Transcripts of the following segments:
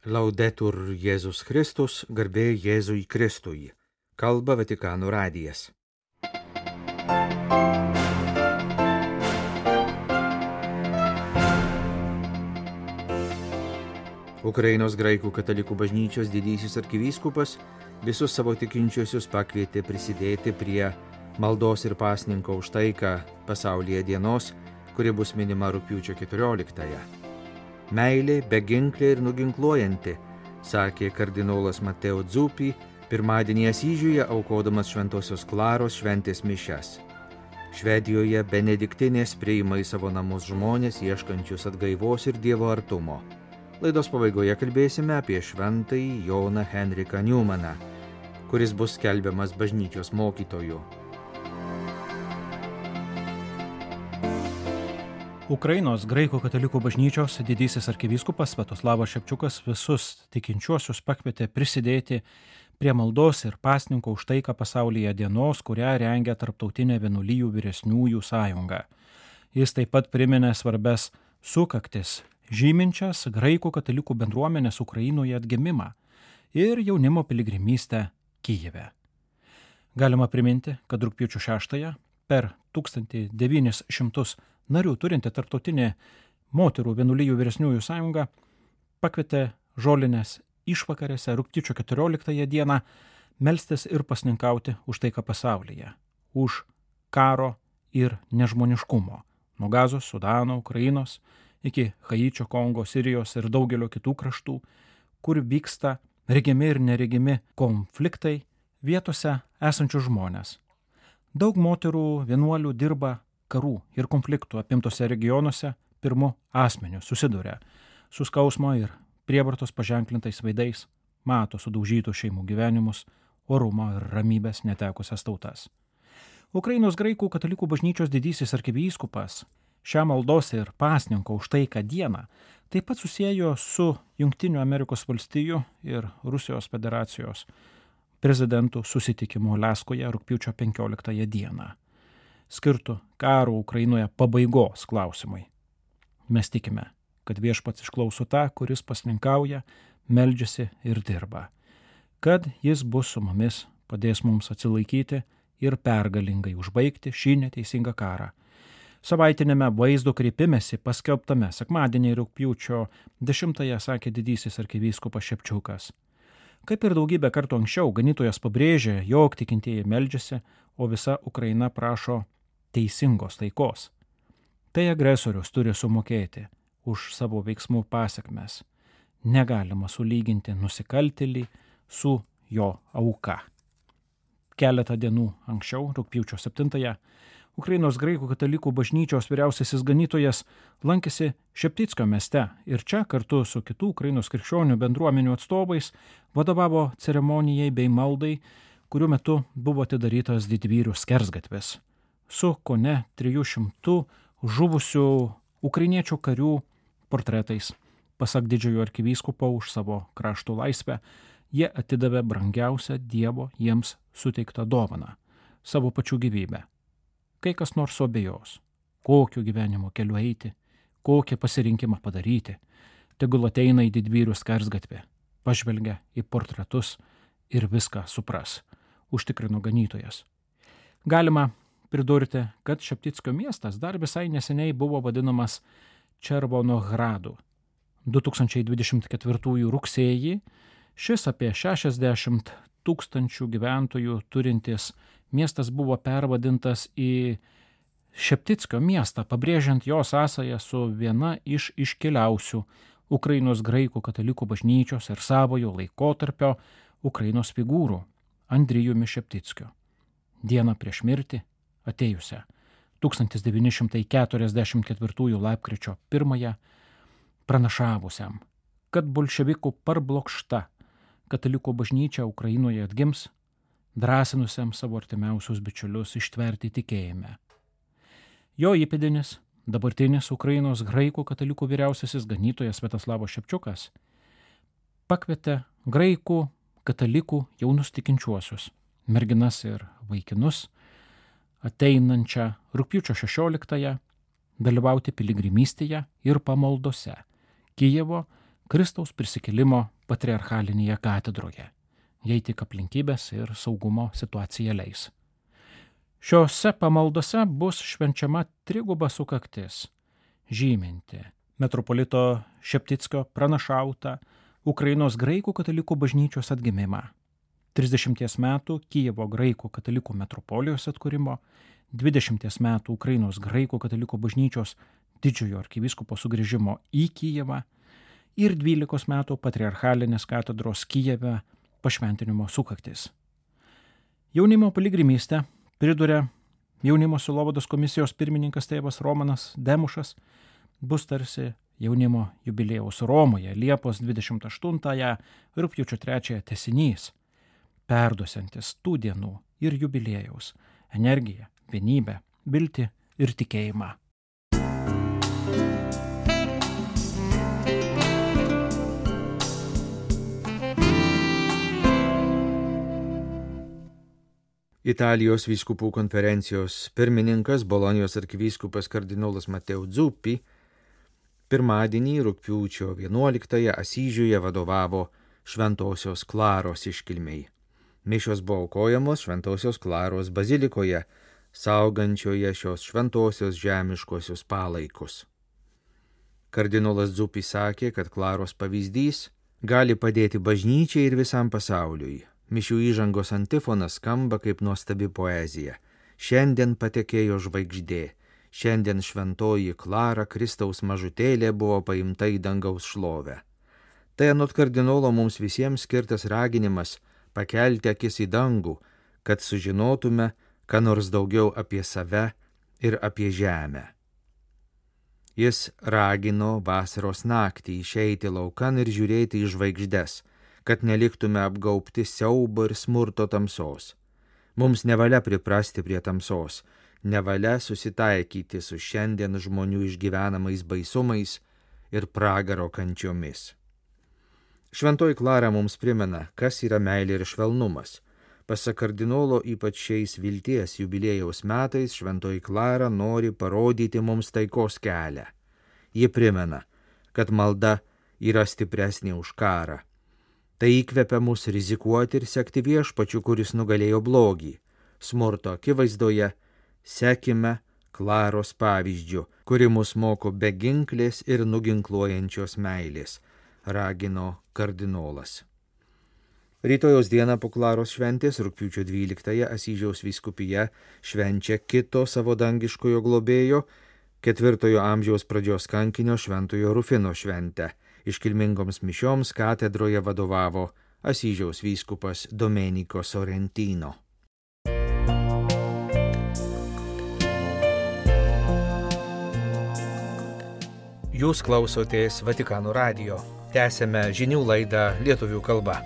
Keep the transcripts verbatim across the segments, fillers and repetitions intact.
Laudetur Jėzus Kristus, garbė Jėzui Kristui. Kalba Vatikano radijas. Ukrainos graikų katalikų bažnyčios didysis arkivyskupas visus savo tikinčiuosius pakvietė prisidėti prie maldos ir pasninko už taiką pasaulyje dienos, kuri bus minima rugpjūčio keturioliktąją. Meilė beginklė ir nuginkluojanti, sakė kardinolas Mateo Dzuppi pirmadienį Asyžiuje aukodamas Šventosios Klaros šventės mišias. Švedijoje benediktinės priima į savo namus žmonės ieškančius atgaivos ir Dievo artumo. Laidos pabaigoje kalbėsime apie šventąjį Joną Henriką Newmaną, kuris bus skelbiamas bažnyčios mokytoju. Ukrainos graikų katalikų bažnyčios didysis arkivyskupas Sviatoslavas Ševčiukas visus tikinčiuosius pakvietė prisidėti prie maldos ir pasninko už taiką pasaulyje dienos, kurią rengia Tarptautinė vienuolijų vyresniųjų sąjunga. Jis taip pat priminė svarbes sukaktis, žyminčias graikų katalikų bendruomenės Ukrainoje atgimimą ir jaunimo piligrimystę Kijeve. Galima priminti, kad rugpjūčio šeštąją per tūkstantis devynis šimtus narių turinti Tarptautinė moterų vienuolijų vyresniųjų sąjunga pakvietė žolinės išvakarėse rugpjūčio keturioliktąją dieną melstis ir pasninkauti už taiką pasaulyje, už karo ir nežmoniškumo, nuo Gazos, Sudano, Ukrainos iki Haičio, Kongo, Sirijos ir daugelio kitų kraštų, kur vyksta regimi ir neregimi konfliktai vietose esančių žmonės. Daug moterų vienuolių dirba karų ir konfliktų apimtose regionuose pirmu asmeniu susiduria su skausmo ir prievartos paženklintais veidais, mato sudaužytų šeimų gyvenimus, orumo ir ramybės netekusias tautas. Ukrainos graikų katalikų bažnyčios didysis arkivyskupas šią maldos ir pasninko už taiką dieną taip pat susiejo su Jungtinių Amerikos valstijų ir Rusijos federacijos prezidentų susitikimu Aliaskoje rugpjūčio penkioliktąją dieną, skirtų karo Ukrainoje pabaigos klausimui. Mes tikime, kad Viešpats išklauso tą, kuris pasninkauja, meldžiasi ir dirba, kad jis bus su mumis, padės mums atsilaikyti ir pergalingai užbaigti šį neteisingą karą. Savaitinėme vaizdo kreipimesi paskelbtame sekmadienį rugpjūčio dešimtąją sakė didysis arkivyskupas Ševčiukas. Kaip ir daugybę kartų anksčiau, ganytojas pabrėžė, jog tikintieji meldžiasi, o visa Ukraina prašo teisingos taikos. Tai agresorius turi sumokėti už savo veiksmų pasekmes. Negalima sulyginti nusikaltėlį su jo auka. Keletą dienų anksčiau, rugpjūčio septintąją, Ukrainos graikų katalikų bažnyčios vyriausiasis ganytojas lankėsi Šeptyckio mieste ir čia kartu su kitų Ukrainos krikščionių bendruomenių atstovais vadovavo ceremonijai bei maldai, kurių metu buvo atidarytas didvyrių skersgatvis su kone trijų šimtų žuvusių ukrainiečių karių portretais. Pasak didžiojo arkivyskupo už savo krašto laisvę, jie atidavė brangiausią Dievo jiems suteiktą dovaną – savo pačių gyvybę. Kai kas nors suabejos, kokiu gyvenimo keliu eiti, kokį pasirinkimą padaryti, tegul ateina į didvyrių skersgatvį, pažvelgia į portretus ir viską supras, užtikrino ganytojas. Galima pridurti, kad Šeptyckio miestas dar visai neseniai buvo vadinamas Červonohradu. du tūkstančiai dvidešimt ketvirtųjų rugsėjį šis apie šešiasdešimt tūkstančių gyventojų turintis miestas buvo pervadintas į Šeptyckio miestą, pabrėžiant jo sąsają su viena iš iškiliausių Ukrainos graikų katalikų bažnyčios ir savojo laikotarpio Ukrainos figūrų Andrijumi Šeptyckiu. Dieną prieš mirtį, atėjusią tūkstantis devyni šimtai keturiasdešimt ketvirtųjų lapkričio pirmąją, pranašavusiam, kad bolševikų parblokšta katalikų bažnyčia Ukrainoje atgims, drąsinusiam savo artimiausius bičiulius ištverti tikėjime. Jo įpėdinis, dabartinis Ukrainos graikų katalikų vyriausiasis ganytojas Sviatoslavas Ševčiukas pakvietė graikų katalikų jaunus tikinčiuosius, merginas ir vaikinus, ateinančią rugpjūčio šešioliktąją dalyvauti piligrimystėje ir pamaldose Kijevo Kristaus prisikėlimo patriarchalinėje katedroje, jei tik aplinkybės ir saugumo situacija leis. Šiose pamaldose bus švenčiama triguba sukaktis, žyminti metropolito Šeptickio pranašautą Ukrainos graikų katalikų bažnyčios atgimimą, trisdešimties metų Kijevo graikų katalikų metropolijos atkūrimo, dvidešimties metų Ukrainos graikų katalikų bažnyčios didžiojo arkivyskupo sugrįžimo į Kijevą ir dvylikos metų patriarchalinės katedros Kijeve pašventinimo sukaktis. Jaunimo piligrimystę priduria jaunimo sielovados komisijos pirmininkas tėvas Romanas Demušas, bus tarsi jaunimo jubiliejaus Romoje Liepos dvidešimt aštuntąją rugpjūčio trečiąją tęsinys, perduosiantis tų dienų ir jubiliejaus energiją, vienybę, viltį ir tikėjimą. Italijos vyskupų konferencijos pirmininkas Bolonijos arkivyskupas kardinolas Mateo Zuppi pirmadienį rugpjūčio vienuoliktąją Asyžiuje vadovavo Šventosios Klaros iškilmei. Mišios buvo aukojamos Šventosios Klaros bazilikoje, saugančioje šios šventosios žemiškosios palaikus. Kardinolas Zuppi sakė, kad Klaros pavyzdys gali padėti bažnyčiai ir visam pasauliui. Mišių įžangos antifonas skamba kaip nuostabi poezija. Šiandien patekėjo žvaigždė. Šiandien šventoji Klara, Kristaus mažutėlė, buvo paimta į dangaus šlovę. Tai anot kardinolo mums visiems skirtas raginimas pakelti akis į dangų, kad sužinotume, ką nors daugiau apie save ir apie žemę. Jis ragino vasaros naktį išeiti laukan ir žiūrėti į žvaigždes, kad neliktume apgaubti siaubo ir smurto tamsos. Mums nevalia priprasti prie tamsos, nevalia susitaikyti su šiandien žmonių išgyvenamais baisumais ir pragaro kančiomis. Šventoji Klara mums primena, kas yra meilė ir švelnumas. Pasak kardinolo, ypač šiais vilties jubiliejaus metais, Šventoji Klara nori parodyti mums taikos kelią. Ji primena, kad malda yra stipresnė už karą. Tai įkvepia mus rizikuoti ir sekti viešpačiu, kuris nugalėjo blogį. Smurto akivaizdoje sekime Klaros pavyzdžiu, kuri mus moko beginklės ir nuginkluojančios meilės, ragino kardinolas. Rytojos dieną po Klaros šventės, rugpjūčio dvyliktąją, Asyžiaus vyskupija švenčia kito savo dangiškojo globėjo, ketvirtojo amžiaus pradžios kankinio Šventojo Rufino šventę. Iškilmingoms mišioms katedroje vadovavo Asyžiaus vyskupas Domenico Sorrentino. Jūs klausotės Vatikano radijo. Tęsėme žinių laidą lietuvių kalba.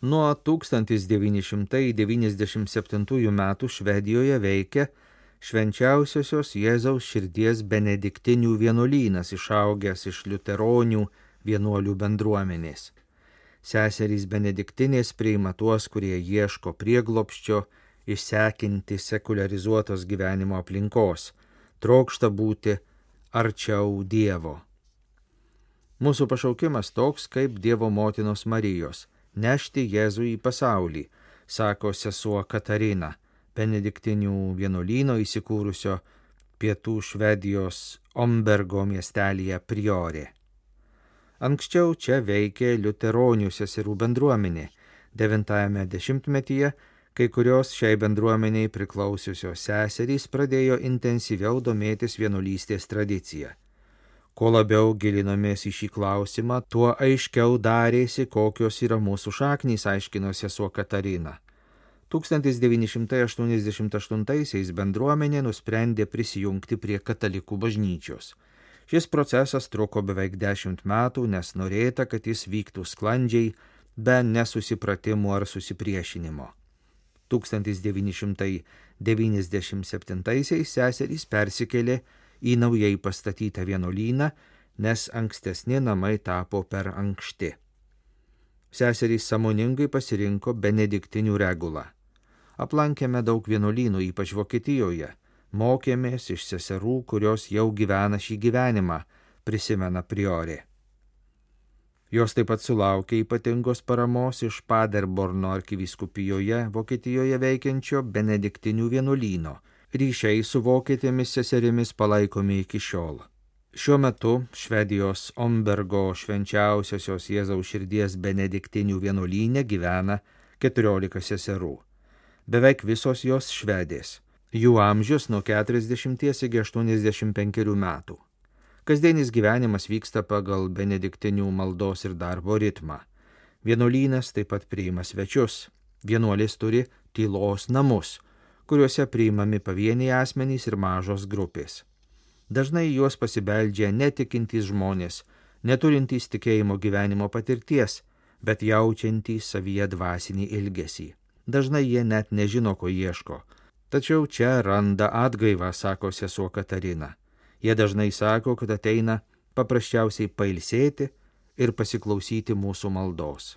Nuo tūkstantis devyni šimtai devyniasdešimt septintųjų metų Švedijoje veikia Švenčiausiosios Jėzaus širdies benediktinių vienuolynas, išaugęs iš liuteronių vienuolių bendruomenės. Seserys benediktinės priima tuos, kurie ieško prieglobsčio, išsekinti sekuliarizuotos gyvenimo aplinkos, trokšta būti arčiau Dievo. Mūsų pašaukimas toks kaip Dievo motinos Marijos – nešti Jėzų į pasaulį, sako sesuo Katarina, benediktinių vienuolyno įsikūrusio pietų Švedijos Ombergo miestelyje priorė. Anksčiau čia veikė liuteronių seserų bendruomenė. Devintajame dešimtmetyje kai kurios šiai bendruomeniai priklausiusios seserys pradėjo intensyviau domėtis vienuolystės tradicija. Kuo labiau gilinomės į šį klausimą, tuo aiškiau darėsi, kokios yra mūsų šaknys, aiškino sesuo Katarina. tūkstantis devyni šimtai aštuoniasdešimt aštuntaisiais bendruomenė nusprendė prisijungti prie katalikų bažnyčios. Šis procesas truko beveik dešimt metų, nes norėta, kad jis vyktų sklandžiai, be nesusipratimų ar susipriešinimo. tūkstantis devyni šimtai devyniasdešimt septintaisiais seserys persikėlė į naujai pastatytą vienuolyną, nes ankstesni namai tapo per ankšti. Seserys sąmoningai pasirinko benediktinių regulą. Aplankėme daug vienuolynų, ypač Vokietijoje. Mokėmės iš seserų, kurios jau gyvena šį gyvenimą, prisimena priorė. Jos taip pat sulaukė ypatingos paramos iš Paderborno arkivyskupijoje Vokietijoje veikiančio benediktinių vienuolyno. Ryšiai su vokietėmis seserimis palaikomi iki šiol. Šiuo metu Švedijos Ombergo švenčiausiosios Jėzaus širdies benediktinių vienuolyne gyvena keturiolika seserų. Beveik visos jos švedės. Jų amžius nuo keturiasdešimties iki aštuoniasdešimt penkerių metų. Kasdienis gyvenimas vyksta pagal benediktinių maldos ir darbo ritmą. Vienuolynas taip pat priima svečius. Vienuolės turi tylos namus, kuriuose priimami pavieniai asmenys ir mažos grupės. Dažnai juos pasibeldžia netikintys žmonės, neturintys tikėjimo gyvenimo patirties, bet jaučiantys savyje dvasinį ilgesį. Dažnai jie net nežino, ko ieško. Tačiau čia randa atgaivą, sako sesuo Katarina. Jie dažnai sako, kad ateina paprasčiausiai pailsėti ir pasiklausyti mūsų maldos.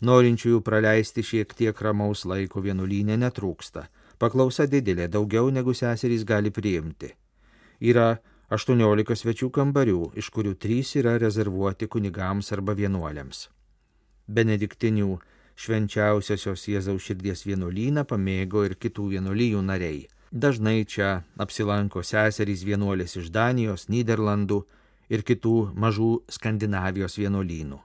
Norinčiųjų praleisti šiek tiek ramaus laiko vienuolyne netrūksta. Paklausa didelė, daugiau negu seserys gali priimti. Yra aštuoniolika svečių kambarių, iš kurių trys yra rezervuoti kunigams arba vienuoliams. Benediktinių švenčiausiosios Jėzaus širdies vienuolyną pamėgo ir kitų vienuolijų nariai. Dažnai čia apsilanko seserys vienuolės iš Danijos, Nyderlandų ir kitų mažų Skandinavijos vienuolynų.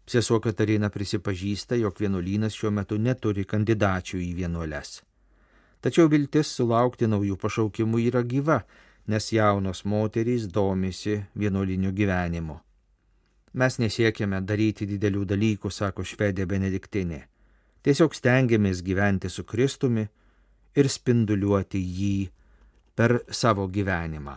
Sesuo Katarina prisipažįsta, jog vienuolynas šiuo metu neturi kandidačių į vienuoles. Tačiau viltis sulaukti naujų pašaukimų yra gyva, nes jaunos moterys domisi vienuoliniu gyvenimu. Mes nesiekėme daryti didelių dalykų, sako švedė benediktinė. Tiesiog stengiamės gyventi su Kristumi ir spinduliuoti jį per savo gyvenimą.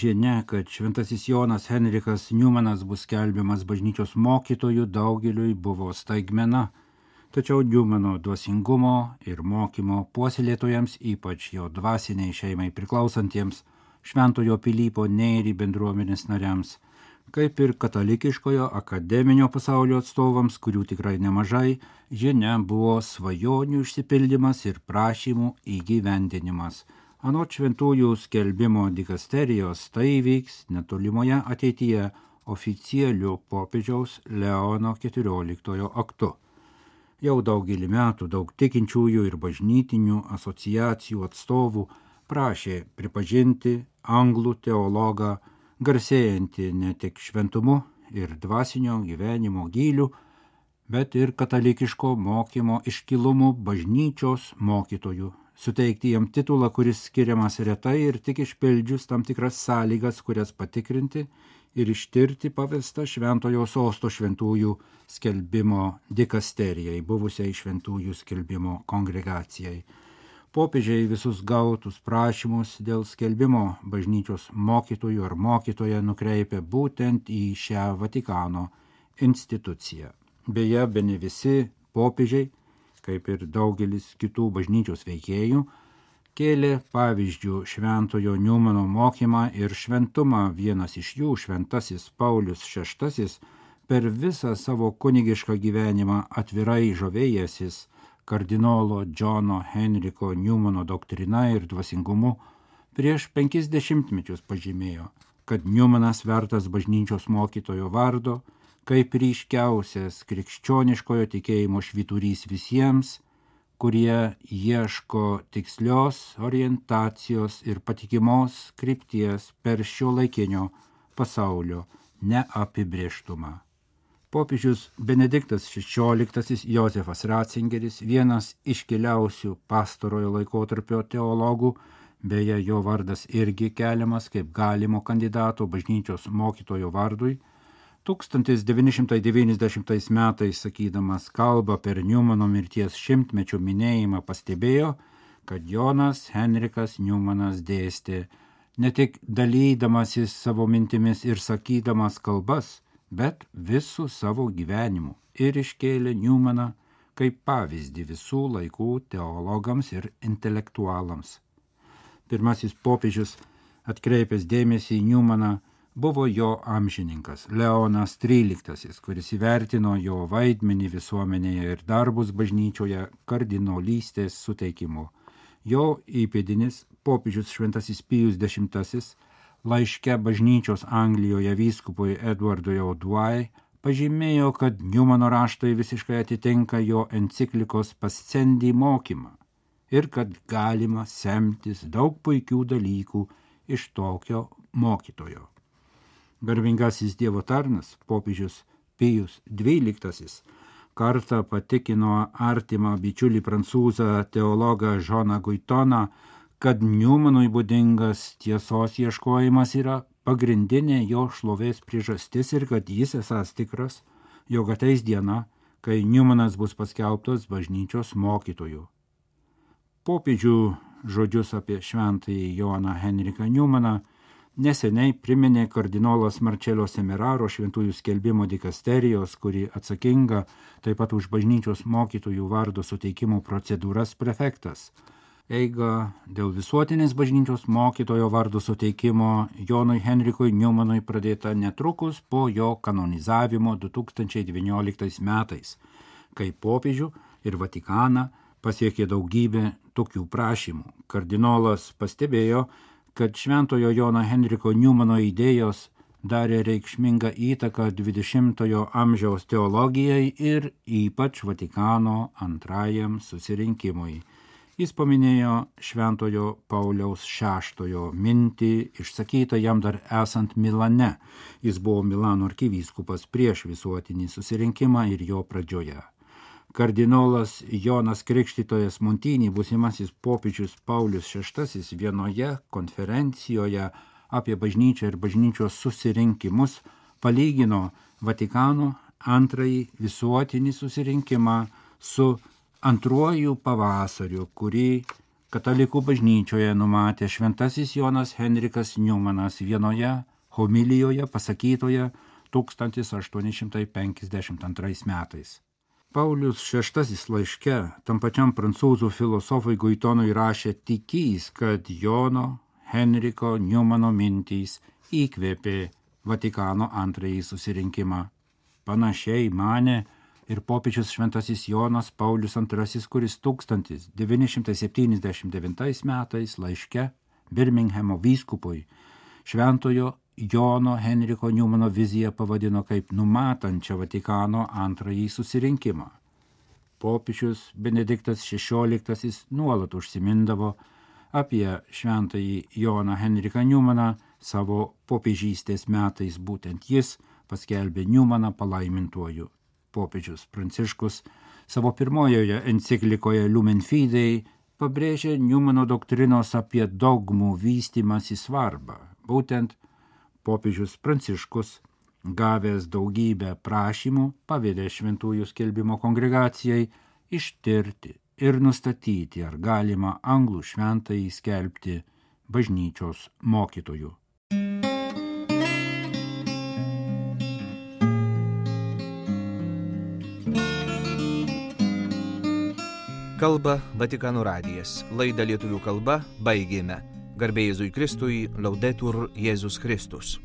Žinia, kad šventasis Jonas Henrikas Niumanas bus skelbiamas bažnyčios mokytojų, daugeliui buvo staigmena. Tačiau Niumano dvasingumo ir mokymo puoselėtojams, ypač jo dvasiniai šeimai priklausantiems, Šventojo Pilypo Nėrį bendruomenės nariams, kaip ir katalikiškojo akademinio pasaulio atstovams, kurių tikrai nemažai, žinia buvo svajonių išsipildymas ir prašymų įgyvendinimas. Anot šventųjų skelbimo dikasterijos tai vyks netolimoje ateityje oficialiu popiežiaus Leono keturioliktojo aktu. Jau daugelį metų daug tikinčiųjų ir bažnytinių asociacijų atstovų prašė pripažinti anglų teologą, garsėjantį ne tik šventumu ir dvasinio gyvenimo gyliu, bet ir katalikiško mokymo iškilumu bažnyčios mokytojų, suteikti jam titulą, kuris skiriamas retai ir tik išpildžius tam tikras sąlygas, kurias patikrinti ir ištirti pavesta Šventojo Sosto šventųjų skelbimo dikasterijai, buvusiai šventųjų skelbimo kongregacijai. Popiežiai visus gautus prašymus dėl skelbimo bažnyčios mokytojų ar mokytoją nukreipia būtent į šią Vatikano instituciją. Beje, bene visi popiežiai, kaip ir daugelis kitų bažnyčios veikėjų, kėlė pavyzdžių Šventojo Niumano mokymą ir šventumą. Vienas iš jų, šventasis Paulius šeštasis, per visą savo kunigišką gyvenimą atvirai žavėjęsis kardinolo Džono Henriko Niumano doktrina ir dvasingumu, prieš penkis dešimtmečius pažymėjo, kad Niumanas vertas bažnyčios mokytojo vardo, kaip ryškiausias krikščioniškojo tikėjimo švyturys visiems, kurie ieško tikslios orientacijos ir patikimos krypties per šiuolaikinio pasaulio neapibrėžtumą. Popiežius Benediktas šešioliktasis Jozefas Ratzingeris, vienas iškiliausių pastarojo laikotarpio teologų, beje, jo vardas irgi keliamas kaip galimo kandidato bažnyčios mokytojo vardui, tūkstantis devyni šimtai devyniasdešimtais metais, sakydamas kalbą per Niumano mirties šimtmečio minėjimą, pastebėjo, kad Jonas Henrikas Niumanas dėstė ne tik dalydamasis savo mintimis ir sakydamas kalbas, bet visų savo gyvenimu ir iškėlė Niumaną kaip pavyzdį visų laikų teologams ir intelektualams. Pirmasis popiežius, atkreipęs dėmesį į Niumaną, buvo jo amžininkas Leonas tryliktasis, kuris įvertino jo vaidmenį visuomenėje ir darbus bažnyčioje kardinolystės suteikimu. Jo įpėdinis popiežius šventasis Pijus dešimtasis laiške bažnyčios Anglijoje vyskupui Edwardui Auduai pažymėjo, kad Newmano raštai visiškai atitinka jo enciklikos Pascendi mokymą ir kad galima semtis daug puikių dalykų iš tokio mokytojo. Garbingasis Dievo tarnas, popiežius Pijus dvyliktasis, kartą patikino artimą bičiulį prancūzą teologą Žoną Guitoną, kad Newmanui būdingas tiesos ieškojimas yra pagrindinė jo šlovės priežastis ir kad jis esąs tikras, jog ateis diena, kai Newmanas bus paskelbtas bažnyčios mokytoju. Popiežių žodžius apie šventąjį Joną Henriką Newmaną neseniai priminė kardinolas Marcello Semeraro šventųjų skelbimo dikasterijos, kuri atsakinga taip pat už bažnyčios mokytojų vardo suteikimo procedūras prefektas. Eiga dėl visuotinės bažnyčios mokytojo vardo suteikimo Jonui Henrikui Newmanui pradėta netrukus po jo kanonizavimo du tūkstančiai devynioliktais metais, kai popiežių ir Vatikaną pasiekė daugybė tokių prašymų. Kardinolas pastebėjo, kad šventojo Jono Henriko Newmano idėjos darė reikšmingą įtaką dvidešimtojo amžiaus teologijai ir ypač Vatikano antrajam susirinkimui. Jis paminėjo šventojo Pauliaus šeštojo mintį, išsakytą jam dar esant Milane. Jis buvo Milano arkivyskupas prieš visuotinį susirinkimą ir jo pradžioje. Kardinolas Jonas Krikštytojas Montinį, būsimasis popiežius Paulius šeštasis, vienoje konferencijoje apie bažnyčią ir bažnyčios susirinkimus palygino Vatikano antrąjį visuotinį susirinkimą su antruoju pavasariu, kurį katalikų bažnyčioje numatė šventasis Jonas Henrikas Newmanas vienoje homilijoje pasakytoje tūkstantis aštuoni šimtai penkiasdešimt antrais metais. Paulius šeštasis laiške tam pačiam prancūzų filosofui Guitonui rašė tikys, kad Jono Henriko Newmano mintys įkvėpė Vatikano antrąjį susirinkimą. Panašiai manė ir popiežius šventasis Jonas Paulius antrasis, kuris tūkstantis devyni šimtai septyniasdešimt devintais metais laiške Birminghamo vyskupui šventojo Jono Henriko Newmano viziją pavadino kaip numatančią Vatikano antrąjį susirinkimą. Popiežius Benediktas šešioliktasis nuolat užsimindavo apie šventąjį Joną Henriką Newmaną savo popiežystės metais, būtent jis paskelbė Newmaną palaimintuoju. Popiežius Pranciškus savo pirmojoje enciklikoje Lumen Fidei pabrėžė Newmano doktrinos apie dogmų vystymąsi svarbą. Būtent popiežius Pranciškus, gavęs daugybę prašymų, pavedė šventųjų skelbimo kongregacijai ištirti ir nustatyti, ar galima anglų šventąjį skelbti bažnyčios mokytoju. Kalba Vatikano radijas. Laidą lietuvių kalba baigėme. Garbė Jėzui Kristui, Laudetur Jėzus Kristus.